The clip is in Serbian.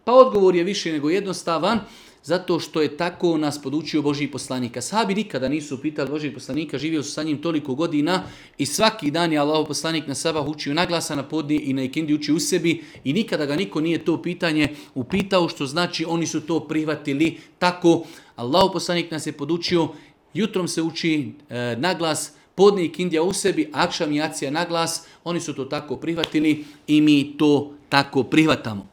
Pa odgovor je više nego jednostavan, zato što je tako nas podučio Božji poslanik. Ashabi nikada nisu pitali Božjeg poslanika, živio su sa njim toliko godina i svaki dan je Allahov poslanik na sabah učio naglasa, na podne i na ikindi učio u sebi i nikada ga niko nije to pitanje upitao, što znači oni su to prihvatili tako. Allahov poslanik nas je podučio, jutrom se uči naglas, podne ikindija u sebi, akšam i jacija naglas, oni su to tako prihvatili i mi to tako prihvatamo.